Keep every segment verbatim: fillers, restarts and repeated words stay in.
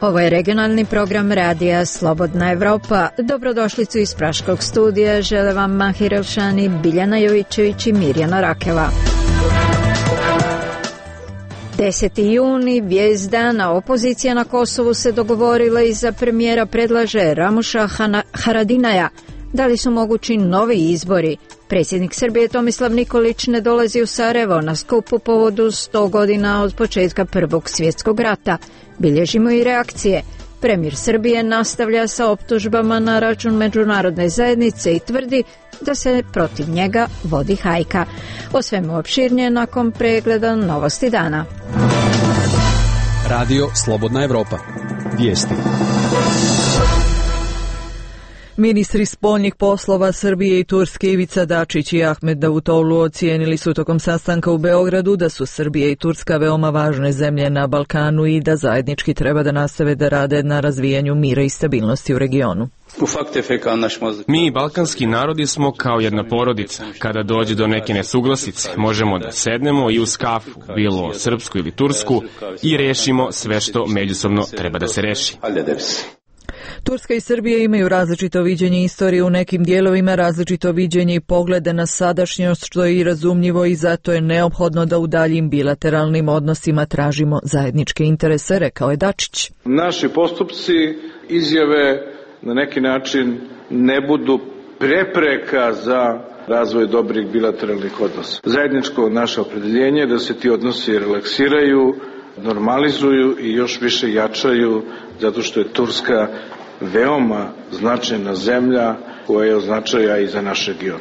Ovo je regionalni program radija Slobodna Evropa. Dobrodošlicu iz Praškog studija žele vam Mahir Elšani, Biljana Jovićević i Mirjana Rakela. deseti juni, vijest dana, opozicija na Kosovu se dogovorila i za premijera predlaže Ramuša Haradinaja. Da li su mogući novi izbori? Predsjednik Srbije Tomislav Nikolić ne dolazi u Sarajevo na skup u povodu sto godina od početka Prvog svjetskog rata. Bilježimo i reakcije. Premijer Srbije nastavlja sa optužbama na račun međunarodne zajednice i tvrdi da se protiv njega vodi hajka. O svemu opširnije nakon pregleda novosti dana. Radio Slobodna Evropa. Vijesti. Ministri spoljnih poslova Srbije i Turske Ivica Dačić i Ahmed Davutoglu ocijenili su tokom sastanka u Beogradu da su Srbija i Turska veoma važne zemlje na Balkanu i da zajednički treba da nastave da rade na razvijanju mira i stabilnosti u regionu. Mi, balkanski narodi, smo kao jedna porodica. Kada dođe do neke nesuglasice, možemo da sednemo i uz kafu, bilo srpsku ili tursku, i rešimo sve što međusobno treba da se reši. Turska i Srbija imaju različito viđenje istorije, u nekim dijelovima različito viđenje i poglede na sadašnjost, što je i razumljivo, i zato je neophodno da u daljim bilateralnim odnosima tražimo zajedničke interese, rekao je Dačić. Naši postupci, izjave na neki način ne budu prepreka za razvoj dobrih bilateralnih odnosa. Zajedničko naše opredeljenje je da se ti odnosi relaksiraju, normalizuju i još više jačaju, zato što je Turska veoma značajna zemlja koja je od značaja i za naš region.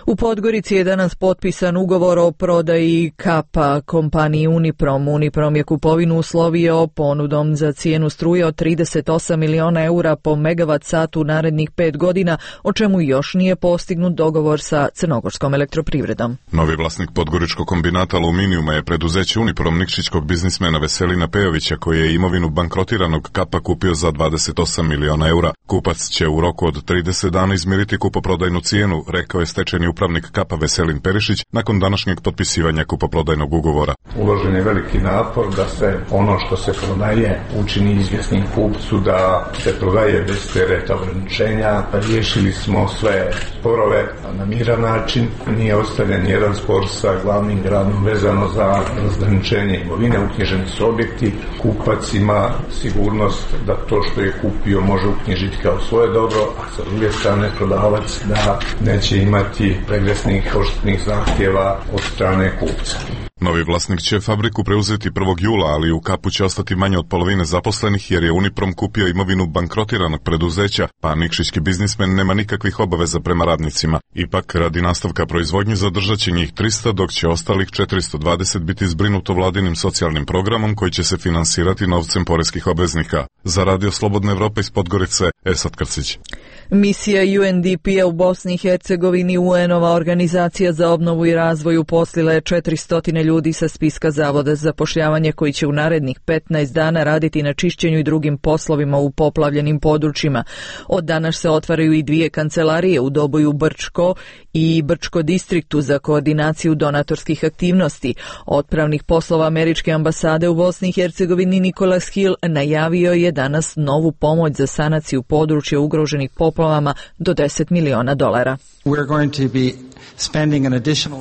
U Podgorici je danas potpisan ugovor o prodaji Kapa kompaniji Uniprom. Uniprom je kupovinu uslovio ponudom za cijenu struje od trideset osam miliona eura po megavat satu narednih pet godina, o čemu još nije postignut dogovor sa crnogorskom elektroprivredom. Novi vlasnik podgoričkog kombinata aluminijuma je preduzeće Uniprom nikšićkog biznismena Veselina Pejovića, koji je imovinu bankrotiranog Kapa kupio za dvadeset osam miliona eura. Kupac će u roku od trideset dana izmiriti kupoprodajnu cijenu, rekao je stečajni upravnik Kapa Veselin Perišić nakon današnjeg potpisivanja kupoprodajnog ugovora. Uložen je veliki napor da se ono što se prodaje učini izvjesnim kupcu, da se prodaje bez tereta ograničenja. Riješili smo sve sporove na miran način. Nije ostavljen jedan spor sa glavnim gradom vezano za razgraničenje imovine. Uknjiženi su objekti. Kupac ima sigurnost da to što je kupio može uknjižiti kao svoje dobro, a sa druge strane prodavac da neće imati regresnih odštetnih zahtjeva od strane kupca. Novi vlasnik će fabriku preuzeti prvog jula, ali u Kapu će ostati manje od polovine zaposlenih jer je Uniprom kupio imovinu bankrotiranog preduzeća, pa nikšićki biznismen nema nikakvih obaveza prema radnicima. Ipak, radi nastavka proizvodnje zadržat će njih tristo, dok će ostalih četiristo dvadeset biti zbrinuto vladinim socijalnim programom koji će se finansirati novcem poreskih obveznika. Za Radio Slobodna Evropa iz Podgorice, Esad Krcić. Misija U N D P-a u Bosni i Hercegovini, U N-ova organizacija za obnovu i razvoj, uposlila je četiristo ljudi sa spiska Zavoda za zapošljavanje koji će u narednih petnaest dana raditi na čišćenju i drugim poslovima u poplavljenim područjima. Od danas se otvaraju i dvije kancelarije u Doboju Brčko i Brčko distriktu za koordinaciju donatorskih aktivnosti. Otpravnik poslova Američke ambasade u Bosni i Hercegovini Nicholas Hill najavio je danas novu pomoć za sanaciju područja ugroženih poplavama do deset miliona dolara.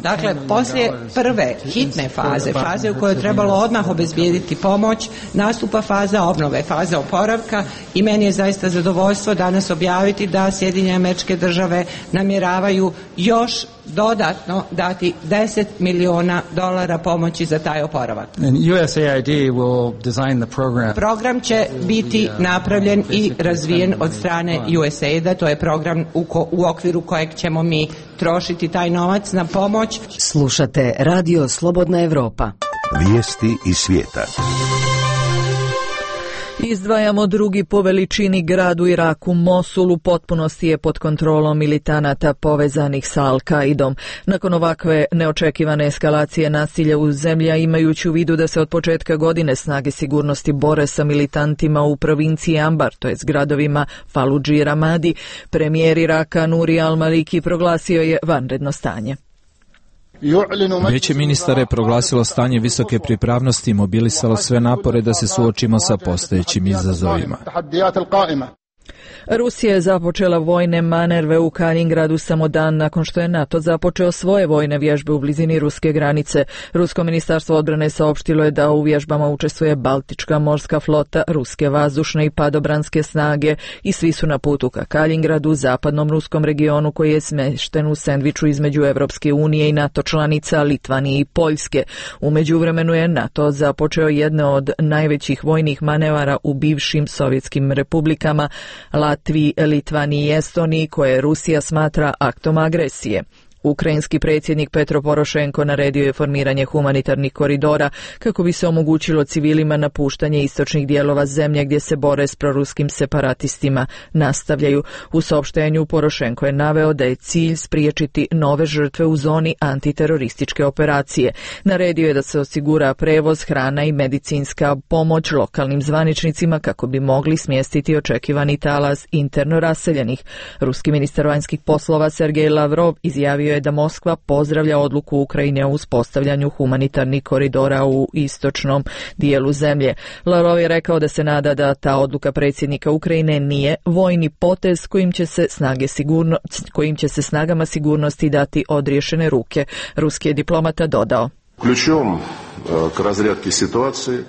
Dakle, poslije prve hitne faze, faze u kojoj je trebalo odmah obezbijediti pomoć, nastupa faza obnove, faza oporavka, i meni je zaista zadovoljstvo danas objaviti da Sjedinjene Američke Države namjeravaju još dodatno dati deset miliona dolara pomoći za taj oporavak. U S A I D will design the program. Program će biti napravljen i razvijen od strane U S A I D-a, to je program u, ko, u okviru kojeg ćemo mi trošiti taj novac na pomoć. Slušate Radio Slobodna Evropa. Vijesti iz svijeta. Izdvajamo drugi po veličini grad u Iraku. Mosul u potpunosti je pod kontrolom militanata povezanih sa Al-Kaidom. Nakon ovakve neočekivane eskalacije nasilja u zemlji, a imajući u vidu da se od početka godine snage sigurnosti bore sa militantima u provinciji Ambar, to je s gradovima Faludži i Ramadi, premijer Iraka Nuri al-Maliki proglasio je vanredno stanje. Vijeće ministara je proglasilo stanje visoke pripravnosti i mobilisalo sve napore da se suočimo sa postojećim izazovima. Rusija je započela vojne manerve u Kaliningradu samo dan nakon što je NATO započeo svoje vojne vježbe u blizini ruske granice. Rusko ministarstvo odbrane saopštilo je da u vježbama učestvuje Baltička morska flota, ruske vazdušne i padobranske snage i svi su na putu ka Kaliningradu, zapadnom ruskom regionu koji je smješten u sendviču između Evropske unije i NATO članica Litvanije i Poljske. U međuvremenu je NATO započeo jedne od najvećih vojnih manevara u bivšim sovjetskim republikama Latviji, Litvaniji i Estoniji, koje Rusija smatra aktom agresije. Ukrajinski predsjednik Petro Porošenko naredio je formiranje humanitarnih koridora kako bi se omogućilo civilima napuštanje istočnih dijelova zemlje gdje se bore s proruskim separatistima. Nastavljaju. U saopštenju Porošenko je naveo da je cilj spriječiti nove žrtve u zoni antiterorističke operacije. Naredio je da se osigura prevoz, hrana i medicinska pomoć lokalnim zvaničnicima kako bi mogli smjestiti očekivani talas interno raseljenih. Ruski ministar vanjskih poslova Sergej Lavrov izjavio je da Moskva pozdravlja odluku Ukrajine o uspostavljanju humanitarnih koridora u istočnom dijelu zemlje. Lavrov je rekao da se nada da ta odluka predsjednika Ukrajine nije vojni potez kojim će se snage sigurno, kojim će se snagama sigurnosti dati odriješene ruke. Ruski je diplomata dodao: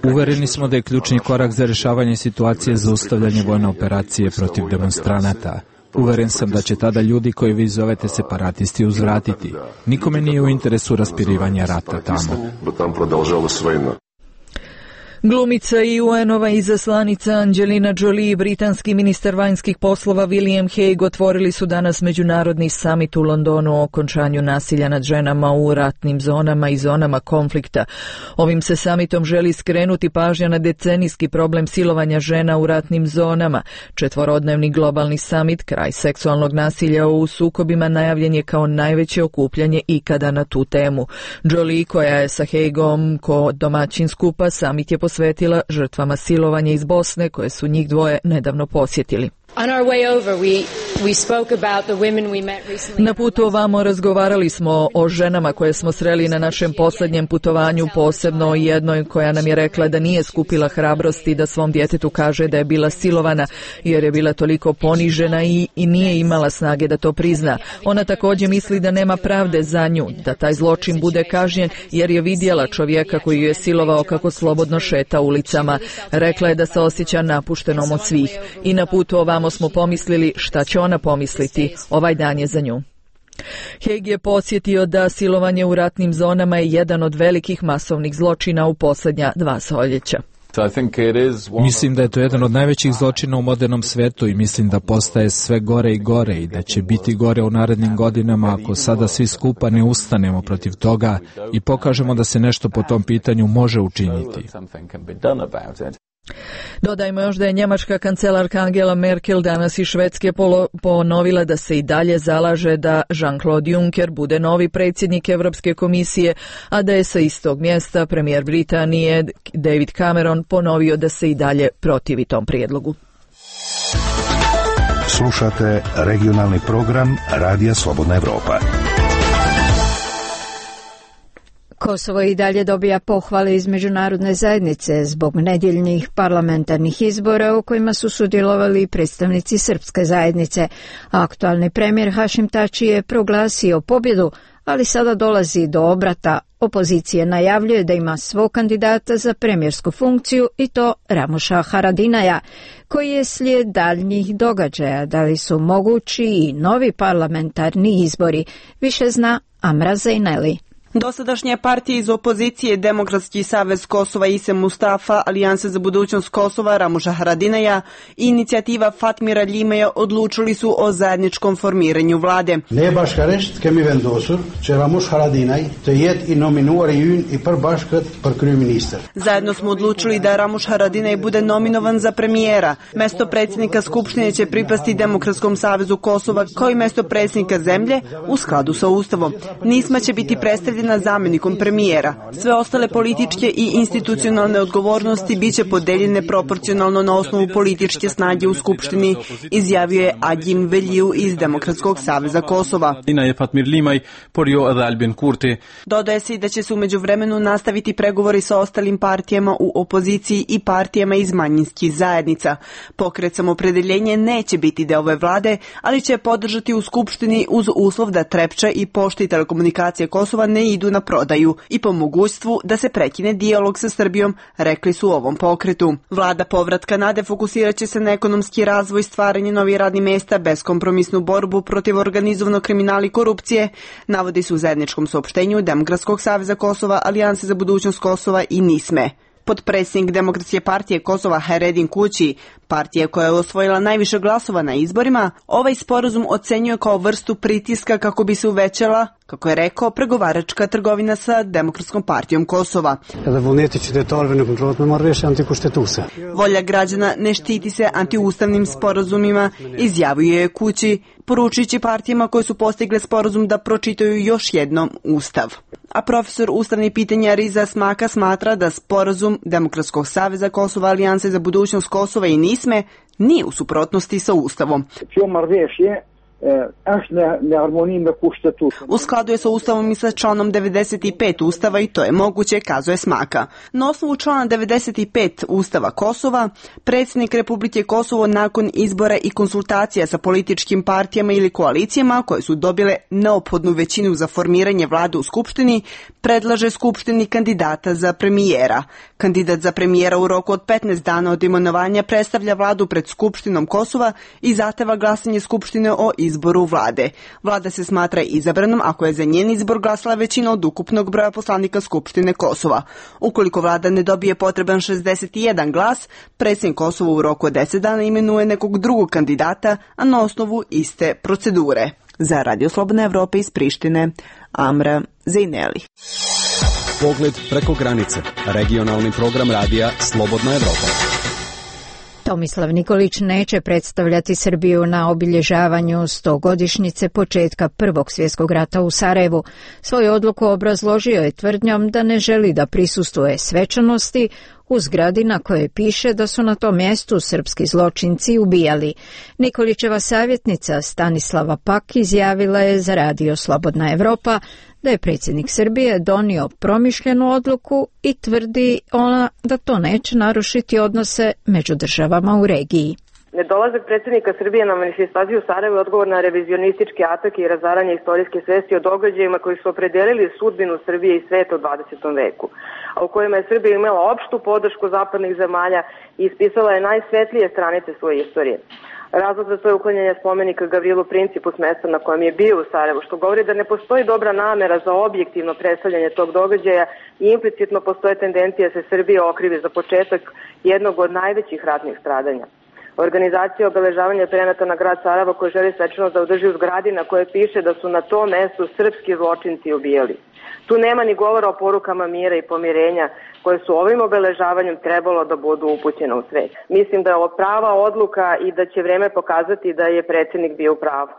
Uvereni smo da je ključni korak za rješavanje situacije zaustavljanje vojne operacije protiv demonstranata. Uveren sam da će tada ljudi koji vi zovete separatisti uzvratiti. Nikome nije u interesu raspirivanja rata tamo. Glumica i U N-ova izaslanica Angelina Jolie i britanski ministar vanjskih poslova William Hague otvorili su danas međunarodni samit u Londonu o okončanju nasilja nad ženama u ratnim zonama i zonama konflikta. Ovim se samitom želi skrenuti pažnja na decenijski problem silovanja žena u ratnim zonama. Četvorodnevni globalni samit, kraj seksualnog nasilja u sukobima, najavljen je kao najveće okupljanje ikada na tu temu. Jolie, koja je sa Hagueom ko domaćin skupa, samit je posvetila žrtvama silovanja iz Bosne koje su njih dvoje nedavno posjetili. Na putu ovamo razgovarali smo o ženama koje smo sreli na našem posljednjem putovanju, posebno o jednoj koja nam je rekla da nije skupila hrabrosti da svom djetetu kaže da je bila silovana jer je bila toliko ponižena i, i nije imala snage da to prizna. Ona također misli da nema pravde za nju, da taj zločin bude kažnjen jer je vidjela čovjeka koji ju je silovao kako slobodno šeta ulicama. Rekla je da se osjeća napuštenom od svih i na putu ovamo smo pomislili šta će ona pomisliti, ovaj dan je za nju. Hague je podsjetio da silovanje u ratnim zonama je jedan od velikih masovnih zločina u posljednja dva stoljeća. Mislim da je to jedan od najvećih zločina u modernom svetu i mislim da postaje sve gore i gore i da će biti gore u narednim godinama ako sada svi skupa ne ustanemo protiv toga i pokažemo da se nešto po tom pitanju može učiniti. Dodajmo još da je njemačka kancelarka Angela Merkel danas iz Švedske ponovila da se i dalje zalaže da Jean-Claude Juncker bude novi predsjednik Europske komisije, a da je sa istog mjesta premijer Britanije David Cameron ponovio da se i dalje protivi tom prijedlogu. Slušate regionalni program Radija Slobodna Evropa. Kosovo i dalje dobija pohvale iz međunarodne zajednice zbog nedjeljnih parlamentarnih izbora u kojima su sudjelovali predstavnici srpske zajednice. Aktualni premijer Hašim Tači je proglasio pobjedu, ali sada dolazi do obrata. Opozicija najavljuje da ima svog kandidata za premijersku funkciju i to Ramuša Haradinaja, koji je slijed daljnjih događaja. Da li su mogući i novi parlamentarni izbori? Više zna Amra Zejneli. Dosadašnje partije iz opozicije Demokratski savez Kosova Ise Mustafa, Alijansa za budućnost Kosova Ramuša Haradinaja i inicijativa Fatmira Ljimeja odlučili su o zajedničkom formiranju vlade. Zajedno smo odlučili da Ramuš Haradinaj bude nominovan za premijera. Mesto predsjednika Skupštine će pripasti Demokratskom savezu Kosova kao i mesto predsjednika zemlje u skladu sa Ustavom. Nisma će biti predstavljeni Haradina zamjenikom premijera. Sve ostale političke i institucionalne odgovornosti biće podeljene proporcionalno na osnovu političke snage u Skupštini, izjavio je Agjim Veliju iz Demokratskog saveza Kosova. Dodaje se i da će se umeđu vremenu nastaviti pregovori sa ostalim partijama u opoziciji i partijama iz manjinskih zajednica. Pokret Samopredeljenje neće biti deo ove vlade, ali će podržati u Skupštini uz uslov da Trepča i Pošta i telekomunikacije Kosova ne idu na prodaju i po mogućstvu da se prekine dijalog sa Srbijom, rekli su u ovom pokretu. Vlada povratka nade fokusirat će se na ekonomski razvoj, stvaranje novih radnih mesta, beskompromisnu borbu protiv organizovanog kriminala i korupcije, navodi su u zajedničkom saopštenju Demokratskog saveza Kosova, Alijanse za budućnost Kosova i Nisme. Potpredsjednik Demokratske partije Kosova Haredin Kući, partija koja je osvojila najviše glasova na izborima, ovaj sporazum ocenjuje kao vrstu pritiska kako bi se uvećala, kako je rekao, pregovaračka trgovina sa Demokratskom partijom Kosova. Volja građana ne štiti se antiustavnim sporazumima, izjavio je Kući, poručujući partijama koje su postigle sporazum da pročitaju još jednom Ustav. A profesor ustavnih pitanja Riza Smaka smatra da sporazum Demokratskog saveza Kosova, Alijanse za budućnost Kosova i Nisme nije u suprotnosti sa Ustavom. U skladu je sa Ustavom i sa članom devedeset pet Ustava i to je moguće, kazuje Smaka. Na osnovu člana devedeset pet Ustava Kosova, predsjednik Republike Kosovo nakon izbora i konsultacija sa političkim partijama ili koalicijama koje su dobile neophodnu većinu za formiranje vlade u Skupštini, predlaže Skupštini kandidata za premijera. Kandidat za premijera u roku od petnaest dana od imenovanja predstavlja vladu pred Skupštinom Kosova i zahteva glasanje Skupštine o izboru vlade. Vlada se smatra izabranom ako je za njen izbor glasala većina od ukupnog broja poslanika Skupštine Kosova. Ukoliko vlada ne dobije potreban šezdeset jedan glas, predsjednik Kosova u roku od deset dana imenuje nekog drugog kandidata, a na osnovu iste procedure. Za Radio Slobodna Evropa iz Prištine, Amra Zejneli. Pogled preko granice. Regionalni program radija Slobodna Evropa. Tomislav Nikolić neće predstavljati Srbiju na obilježavanju stogodišnjice početka Prvog svjetskog rata u Sarajevu. Svoju odluku obrazložio je tvrdnjom da ne želi da prisustvuje svečanosti u zgradi na kojoj piše da su na tom mjestu srpski zločinci ubijali. Nikolićeva savjetnica Stanislava Pak izjavila je za Radio Slobodna Evropa da je predsjednik Srbije donio promišljenu odluku i tvrdi ona da to neće narušiti odnose među državama u regiji. Nedolazak predsjednika Srbije na manifestaciju u Sarajevu je odgovor na revizionističke atake i razaranje istorijske svesti o događajima koji su opredelili sudbinu Srbije i sveta u dvadesetom veku, a u kojima je Srbija imala opštu podršku zapadnih zemalja i ispisala je najsvetlije stranice svoje istorije. Razlog za to je uklanjanje spomenika Gavrilu Principu s mesta na kojem je bio u Sarajevu, što govori da ne postoji dobra namera za objektivno predstavljanje tog događaja i implicitno postoje tendencije da se Srbija okrivi za početak jednog od najvećih ratnih stradanja. Organizacija obeležavanja prenata na grad Sarajevo koji želi svečanost da održi u zgradi na koje piše da su na tom mestu srpski zločinci ubijali. Tu nema ni govora o porukama mira i pomirenja koje su ovim obeležavanjem trebalo da budu upućene u svet. Mislim da je ovo prava odluka i da će vreme pokazati da je predsjednik bio u pravu.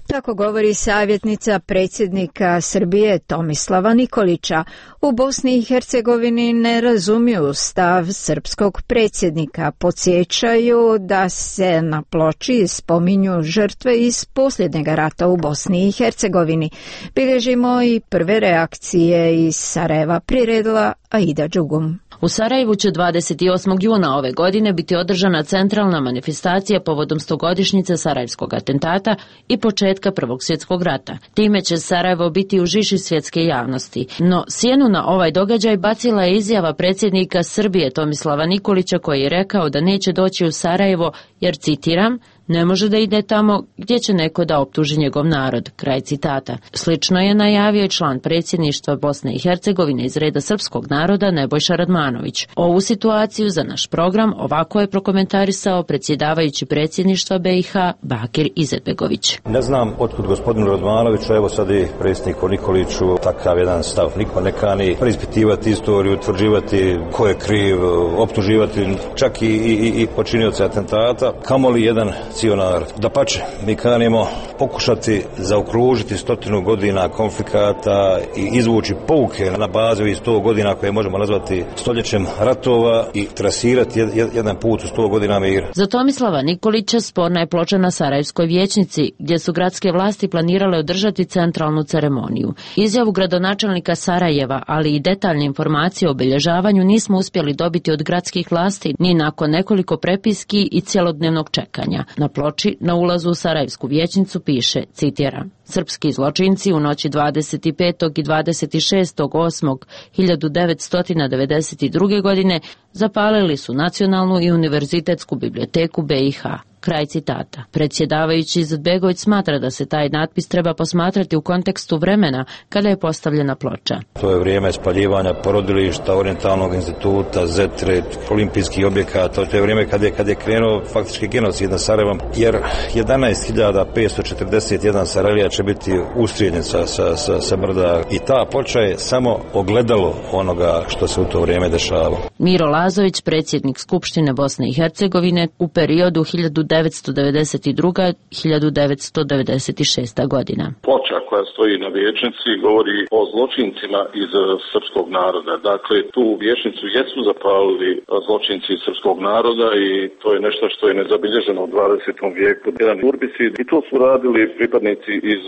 Tako govori savjetnica predsjednika Srbije Tomislava Nikolića. U Bosni i Hercegovini ne razumiju stav srpskog predsjednika. Podsjećaju da se na ploči spominju žrtve iz posljednjeg rata u Bosni i Hercegovini. Bilježimo i prve reakcije iz Sarajeva, priredila Aida Đugum. U Sarajevu će dvadeset osmog juna ove godine biti održana centralna manifestacija povodom stogodišnjice sarajevskog atentata i početka Prvog svjetskog rata. Time će Sarajevo biti u žiži svjetske javnosti. No, sjenu na ovaj događaj bacila je izjava predsjednika Srbije Tomislava Nikolića koji je rekao da neće doći u Sarajevo jer, citiram, ne može da ide tamo gdje će neko da optuži njegov narod. Kraj citata. Slično je najavio i član predsjedništva Bosne i Hercegovine iz reda srpskog naroda Nebojša Radmanović. Ovu situaciju za naš program ovako je prokomentarisao predsjedavajući predsjedništva B i H Bakir Izetbegović. Ne znam otkud gospodinu Radmanoviću, evo sad i predsjedniku Nikoliću takav jedan stav. Niko ne kani preispitivati istoriju, utvrđivati ko je kriv, optuživati čak i, i, i počinioce atentata, kamoli jedan cijel narod. Dapače, mi kanimo pokušati zaokružiti stotinu godina konflikata i izvući pouke na bazi iz sto godina koje možemo nazvati stoljećem ratova i trasirati jedan put u sto godina mira. Za Tomislava Nikolića sporna je ploča na Sarajevskoj vijećnici, gdje su gradske vlasti planirale održati centralnu ceremoniju. Izjavu gradonačelnika Sarajeva, ali i detaljne informacije o obilježavanju nismo uspjeli dobiti od gradskih vlasti ni nakon nekoliko prepiski i cjelodnevnog čekanja. Na ploči na ulazu u Sarajevsku vijećnicu piše, citiram: Srpski zločinci u noći dvadeset petog i dvadeset šestog osmog hiljadu devetsto devedeset druge. godine zapalili su Nacionalnu i Univerzitetsku biblioteku B i H. Kraj citata. Predsjedavajući Izetbegović smatra da se taj natpis treba posmatrati u kontekstu vremena kada je postavljena ploča. To je vrijeme spaljivanja porodilišta, Orientalnog instituta, Zetre, olimpijskih objekata. To je vrijeme kada je, kad je krenuo faktički genocid na Sarajevom, jer jedanaest hiljada petsto četrdeset jedan Sarajlija će biti ustrijeljen sa, sa, sa, sa brda i ta ploča je samo ogledalo onoga što se u to vrijeme dešavalo. Miro Lazović, predsjednik Skupštine Bosne i Hercegovine u periodu hiljadu devetsto devedeset druga do hiljadu devetsto devedeset šesta. godina. Ploča koja stoji na vijećnici govori o zločincima iz srpskog naroda. Dakle, tu vijećnicu jesu zapalili zločinci iz srpskog naroda i to je nešto što je nezabilježeno u dvadesetom vijeku. Jedan urbicid i to su radili pripadnici iz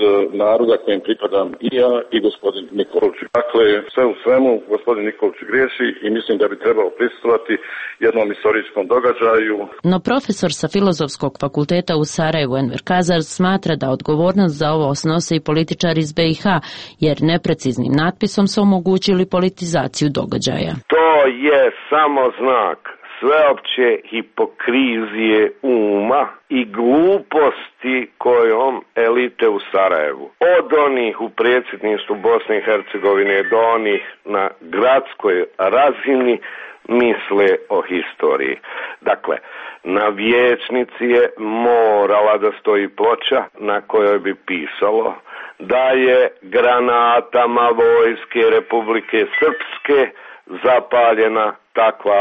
naroda kojim pripadam i ja i gospodin Nikolić. Dakle, sve u svemu gospodin Nikolić griješi i mislim da bi trebao prisustvovati jednom istorijskom događaju. No profesor sa Filozofskog fakulteta u Sarajevu Enver Kazar smatra da odgovornost za ovo snose i političari iz B i H, jer nepreciznim natpisom su omogućili politizaciju događaja. To je samo znak sveopće hipokrizije uma i gluposti kojom elite u Sarajevu, od onih u predsjedništvu Bosne i Hercegovine do onih na gradskoj razini, misle o historiji. Dakle, na vijećnici je morala da stoji ploča na kojoj bi pisalo da je granatama vojske Republike Srpske zapaljena takva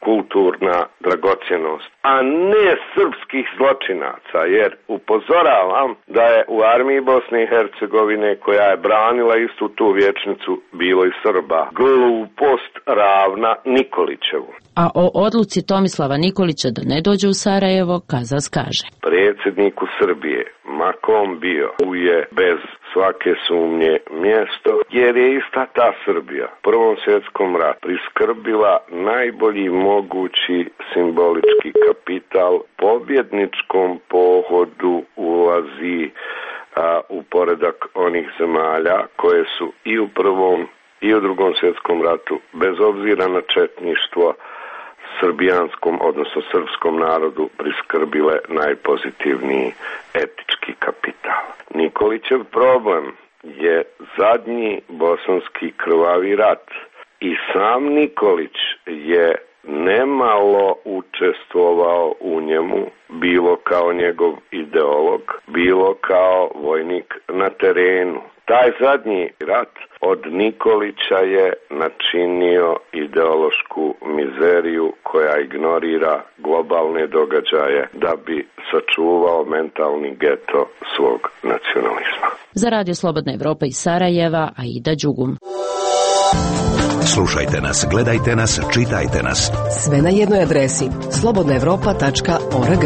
kulturna dragocjenost, a ne srpskih zločinaca, jer upozoravam da je u armiji Bosne i Hercegovine, koja je branila istu tu vijećnicu, bilo i Srba. Glupost ravna Nikolićevu. A o odluci Tomislava Nikolića da ne dođe u Sarajevo, Kazas kaže: Predsjedniku Srbije, ma kom bio, je bez svake sumnje mjesto, jer je ista ta Srbija u Prvom svjetskom ratu priskrbila najbolji mogući simbolički kapital pobjedničkom pohodu ulazi a, u poredak onih zemalja koje su i u Prvom i u Drugom svjetskom ratu, bez obzira na četništvo, srbijanskom, odnosno srpskom narodu priskrbile najpozitivniji etički kapital. Nikolićev problem je zadnji bosanski krvavi rat i sam Nikolić je nemalo učestvovao u njemu, bilo kao njegov ideolog, bilo kao vojnik na terenu. Taj zadnji rat od Nikolića je načinio ideološku mizeriju koja ignorira globalne događaje da bi sačuvao mentalni geto svog nacionalizma. Za Radio Slobodna Evropa iz Sarajeva, Aida Đugum. Slušajte nas, gledajte nas, čitajte nas. Sve na jednoj adresi slobodna evropa tačka org.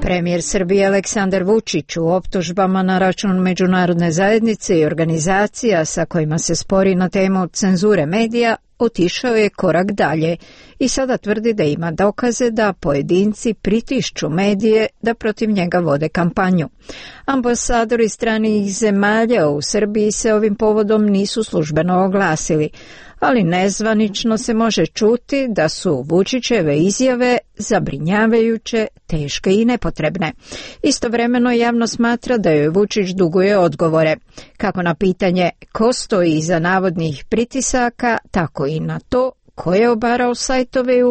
Premijer Srbije Aleksandar Vučić u optužbama na račun međunarodne zajednice i organizacija sa kojima se spori na temu cenzure medija otišao je korak dalje i sada tvrdi da ima dokaze da pojedinci pritišću medije da protiv njega vode kampanju. Ambasadori stranih zemalja u Srbiji se ovim povodom nisu službeno oglasili, ali nezvanično se može čuti da su Vučićeve izjave zabrinjavajuće, teške i nepotrebne. Istovremeno javno smatra da joj Vučić duguje odgovore, kako na pitanje ko stoji iza navodnih pritisaka, tako i na to ko je obarao sajtove i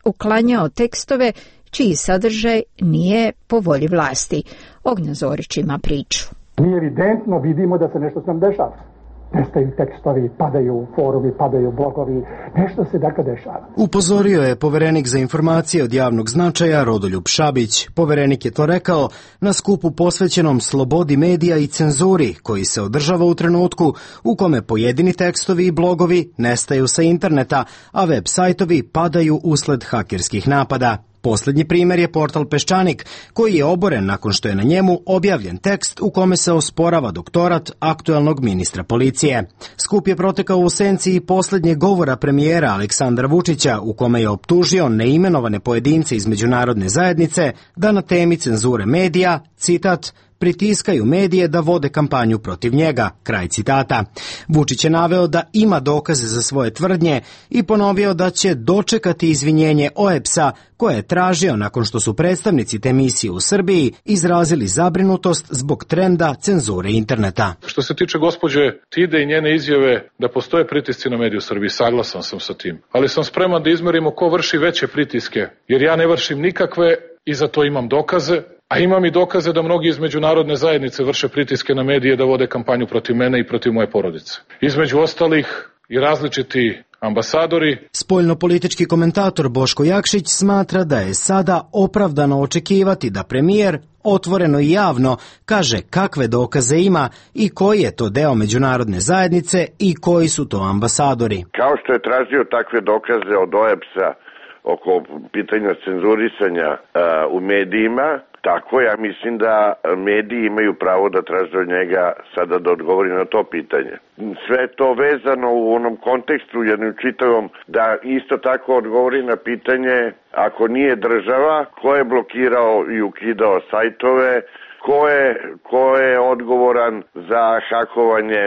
uklanjao tekstove čiji sadržaj nije po volji vlasti. Ognjen Zorić ima priču. Mi evidentno vidimo da se nešto sam dešava. nestaju tekstovi, padaju forumi, padaju blogovi, nešto se dakle dešava. Upozorio je poverenik za informacije od javnog značaja Rodoljub Šabić. Poverenik je to rekao na skupu posvećenom slobodi medija i cenzuri, koji se održava u trenutku u kome pojedini tekstovi i blogovi nestaju sa interneta, a web sajtovi padaju usled hakerskih napada. Posljednji primjer je portal Peščanik, koji je oboren nakon što je na njemu objavljen tekst u kome se osporava doktorat aktuelnog ministra policije. Skup je protekao u senci i posljednjeg govora premijera Aleksandra Vučića, u kome je optužio neimenovane pojedince iz međunarodne zajednice da na temi cenzure medija, citat, pritiskaju medije da vode kampanju protiv njega, kraj citata. Vučić je naveo da ima dokaze za svoje tvrdnje i ponovio da će dočekati izvinjenje O E B S-a koje je tražio nakon što su predstavnici te misije u Srbiji izrazili zabrinutost zbog trenda cenzure interneta. Što se tiče gospođe Tide i njene izjave da postoje pritisci na medije u Srbiji, saglasan sam sa tim, ali sam spreman da izmerimo ko vrši veće pritiske, jer ja ne vršim nikakve i za to imam dokaze. A imam i dokaze da mnogi iz međunarodne zajednice vrše pritiske na medije da vode kampanju protiv mene i protiv moje porodice. Između ostalih i različiti ambasadori. Spoljnopolitički komentator Boško Jakšić smatra da je sada opravdano očekivati da premijer otvoreno i javno kaže kakve dokaze ima i koji je to deo međunarodne zajednice i koji su to ambasadori. Kao što je tražio takve dokaze od O E B S-a oko pitanja cenzurisanja uh, u medijima, tako ja mislim da mediji imaju pravo da traže od njega sada da odgovori na to pitanje. Sve to vezano u onom kontekstu jednom čitavom da isto tako odgovori na pitanje ako nije država, ko je blokirao i ukidao sajtove, Ko je, ko je odgovoran za hakovanje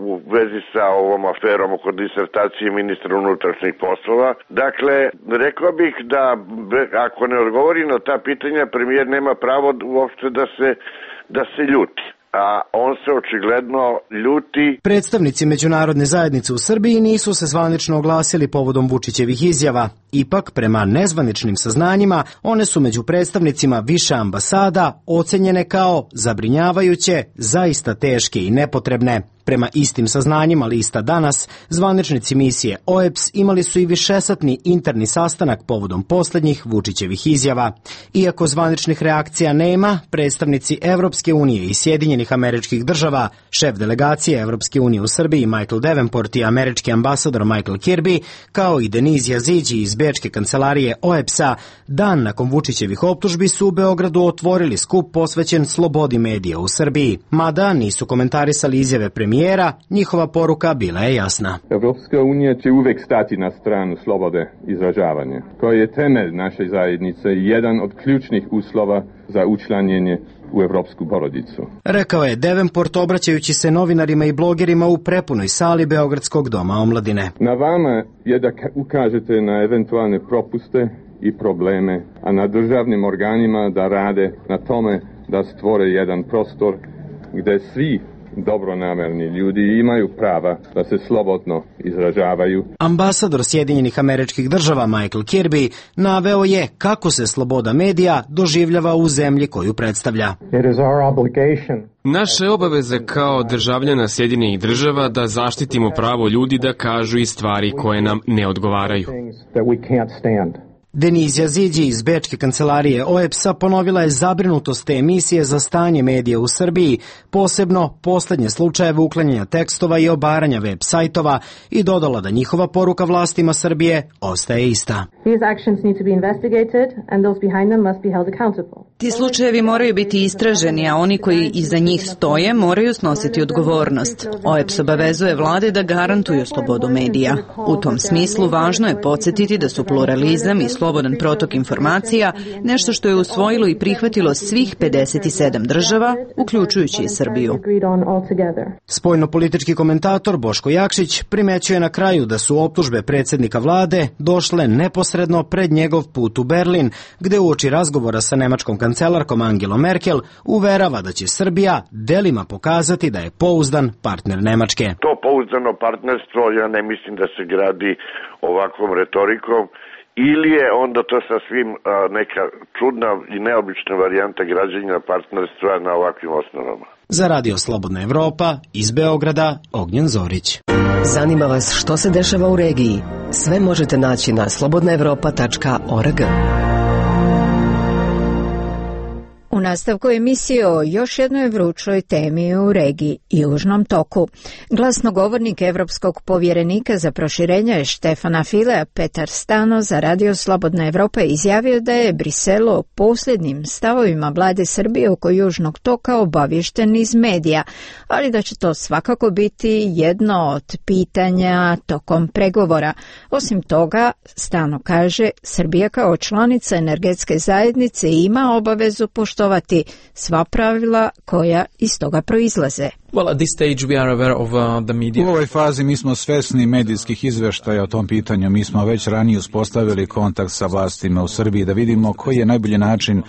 u vezi sa ovom aferom oko disertacije ministra unutrašnjih poslova. Dakle, rekao bih da ako ne odgovori na ta pitanja, premijer nema pravo uopšte da se, da se ljuti. A on se očigledno ljuti. Predstavnici međunarodne zajednice u Srbiji nisu se zvanično oglasili povodom Vučićevih izjava. Ipak, prema nezvaničnim saznanjima, one su među predstavnicima više ambasada ocenjene kao zabrinjavajuće, zaista teške i nepotrebne. Prema istim saznanjima lista Danas, zvaničnici misije O E B S imali su i višesatni interni sastanak povodom posljednjih Vučićevih izjava. Iako zvaničnih reakcija nema, predstavnici Evropske unije i Sjedinjenih Američkih Država, šef delegacije Evropske unije u Srbiji Michael Davenport i američki ambasador Michael Kirby, kao i Deniz Jaziđi iz Bečke kancelarije O E B S-a, dan nakon Vučićevih optužbi su u Beogradu otvorili skup posvećen slobodi medija u Srbiji. Mada nisu komentarisali izjave premijera, njihova poruka bila je jasna. Evropska unija će uvek stati na stranu slobode izražavanja, koji je temelj naše zajednice i jedan od ključnih uslova za učlanjenje u evropsku porodicu. Rekao je Davenport obraćajući se novinarima i blogerima u prepunoj sali Beogradskog doma omladine. Na vama je da ukažete na eventualne propuste i probleme, a na državnim organima da rade na tome da stvore jedan prostor gde svi dobronamerni ljudi imaju prava da se slobodno izražavaju. Ambasador Sjedinjenih Američkih Država Michael Kirby naveo je kako se sloboda medija doživljava u zemlji koju predstavlja. Naša je obaveza kao državljana Sjedinjenih Država da zaštitimo pravo ljudi da kažu i stvari koje nam ne odgovaraju. Deniz Jaziđi iz Bečke kancelarije O E B S-a ponovila je zabrinutost te emisije za stanje medija u Srbiji, posebno posljednje slučajeve uklanjanja tekstova i obaranja web sajtova i dodala da njihova poruka vlastima Srbije ostaje ista. Ti slučajevi moraju biti istraženi, a oni koji iza njih stoje moraju snositi odgovornost. O E B S obavezuje vlade da garantuju slobodu medija. U tom smislu važno je podsjetiti da su pluralizam i slobodan protok informacija nešto što je usvojilo i prihvatilo svih pedeset sedam država, uključujući i Srbiju. Spoljnopolitički komentator Boško Jakšić primećuje na kraju da su optužbe predsjednika vlade došle neposredno pred njegov put u Berlin, gde uoči razgovora sa nemačkom kancelarkom Angelom Merkel uverava da će Srbija delima pokazati da je pouzdan partner Nemačke. To pouzdano partnerstvo ja ne mislim da se gradi ovakvom retorikom ili je onda to sasvim a, neka čudna i neobična varijanta građenja partnerstva na ovakvim osnovama. Za Radio Slobodna Evropa, iz Beograda, Ognjen Zorić. Zanima vas što se dešava u regiji? Sve možete naći na slobodna evropa tačka org. U nastavku emisije o još jednoj vrućoj temi u regiji, Južnom toku. Glasnogovornik Evropskog povjerenika za proširenje Štefana Filea, Petar Stano, za Radio Slobodna Evropa izjavio da je Brisel o posljednjim stavovima vlade Srbije oko Južnog toka obaviješten iz medija, ali da će to svakako biti jedno od pitanja tokom pregovora. Osim toga, Stano kaže, Srbija kao članica energetske zajednice ima obavezu poštovati sva pravila koja iz toga proizlaze. Well, at this stage we are aware of uh, the media. U ovoj fazi mi smo svesni medijskih izveštaja o tom pitanju. Mi smo već ranije uspostavili kontakt sa vlastima u Srbiji da vidimo koji je najbolji način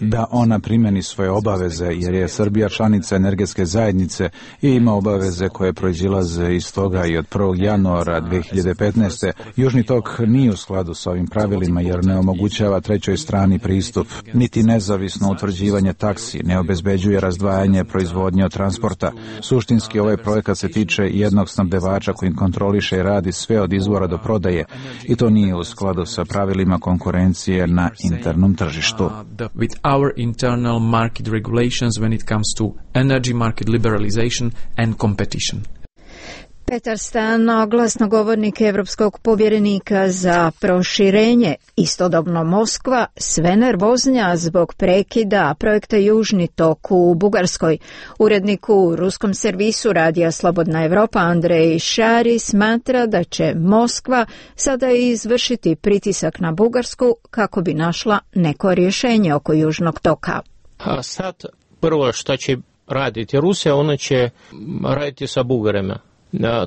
da ona primjeni svoje obaveze, jer je Srbija članica energetske zajednice i ima obaveze koje proizilaze iz toga i od prvog januara dve hiljade petnaeste. Južni tok nije u skladu sa ovim pravilima jer ne omogućava trećoj strani pristup, niti nezavisno utvrđivanje taksi, ne obezbeđuje razdvajanje proizvodnje od transporta. Suštinski ovaj projekat se tiče jednog snabdevača koji kontroliše i radi sve od izvora do prodaje i to nije u skladu sa pravilima konkurencije na internom tržištu. Our internal market regulations when it comes to energy market liberalization and competition. Petar Stano, glasnogovornik Evropskog povjerenika za proširenje, istodobno Moskva, sve nervoznija zbog prekida projekta Južni tok u Bugarskoj. Urednik u ruskom servisu Radija Slobodna Evropa Andrej Šari smatra da će Moskva sada izvršiti pritisak na Bugarsku kako bi našla neko rješenje oko Južnog toka. A sad prvo što će raditi Rusija, ona će raditi sa Bugarima.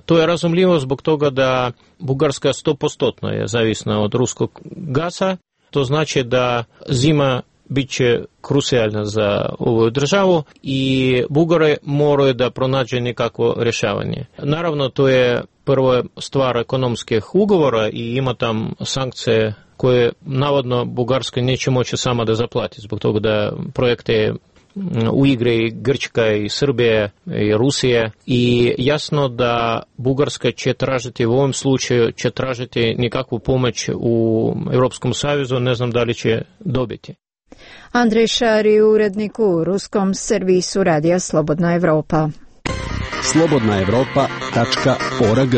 To je razumljivo zbog toga da Bugarska sto posto je zavisna od ruskog gasa. To znači da zima bit će krucijalna za ovu državu i Bugare moraju da pronađe nekakvo rješavanje. Naravno, to je prvo stvar ekonomskih ugovora i ima tam sankcije koje navodno Bugarska neće moći sama da zaplati zbog toga da projekte u igre i Grčka i Srbije i Rusije i jasno da Bugarska će tražiti u ovom slučaju će tražiti nekakvu pomoć u Europskom savezu, ne znam da li će dobiti. Andrej Šari, urednik u ruskom servisu Radija Slobodna Evropa. slobodna evropa tačka org.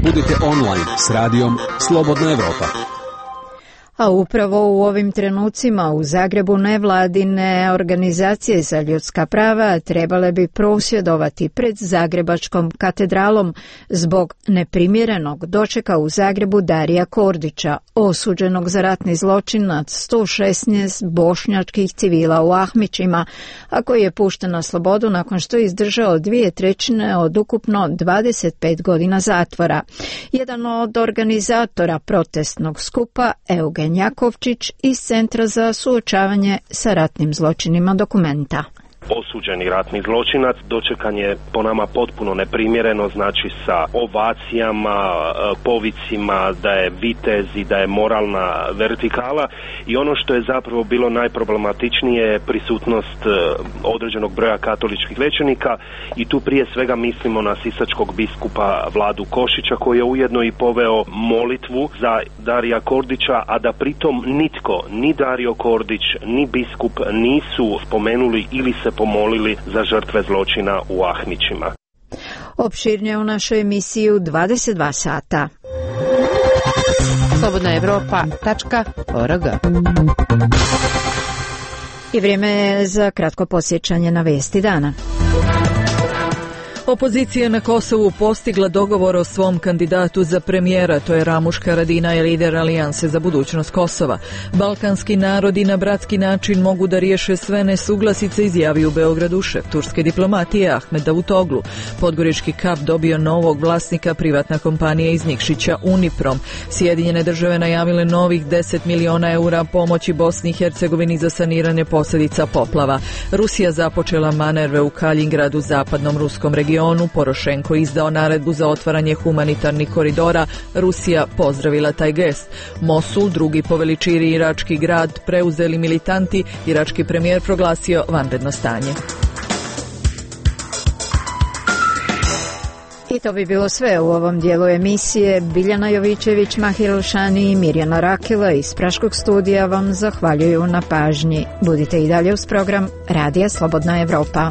Budite online s radijom Slobodna Evropa. A upravo u ovim trenucima u Zagrebu nevladine organizacije za ljudska prava trebale bi prosvjedovati pred Zagrebačkom katedralom zbog neprimjerenog dočeka u Zagrebu Darija Kordića, osuđenog za ratni zločin nad sto šesnaest bošnjačkih civila u Ahmićima, a koji je pušten na slobodu nakon što je izdržao dvije trećine od ukupno dvadeset pet godina zatvora. Jedan od organizatora protestnog skupa, Eugen Jakovčić iz Centra za suočavanje sa ratnim zločinima Dokumenta. Osuđeni ratni zločinac dočekan je po nama potpuno neprimjereno, znači sa ovacijama, povicima da je vitez i da je moralna vertikala i ono što je zapravo bilo najproblematičnije je prisutnost određenog broja katoličkih svećenika i tu prije svega mislimo na sisačkog biskupa Vladu Košića koji je ujedno i poveo molitvu za Darija Kordića, a da pritom nitko, ni Dario Kordić, ni biskup nisu spomenuli ili se pomolili za žrtve zločina u Ahmićima. Opširnije u našoj emisiji u dvadeset dva sata. slobodna evropa tačka org. I vrijeme je za kratko podsjećanje na vesti dana. Opozicija na Kosovu postigla dogovor o svom kandidatu za premijera, to je Ramuš Haradinaj, lider Alijanse za budućnost Kosova. Balkanski narodi na bratski način mogu da riješe sve nesuglasice, izjavi u Beogradu šef turske diplomatije Ahmed Davutoglu. Podgorički kap dobio novog vlasnika, privatna kompanija iz Nikšića Uniprom. Sjedinjene države najavile novih deset miliona eura pomoći Bosni i Hercegovini za saniranje posljedica poplava. Rusija započela manerve u Kaljingradu, zapadnom ruskom regionu. regionu, Porošenko izdao naredbu za otvaranje humanitarnih koridora, Rusija pozdravila taj gest. Mosul, drugi po veličini irački grad, preuzeli militanti, irački premijer proglasio vanredno stanje. I to bi bilo sve u ovom dijelu emisije. Biljana Jovićević, Mahir Elšani i Mirjana Rakela iz Praškog studija vam zahvaljuju na pažnji. Budite i dalje uz program Radija Slobodna Evropa.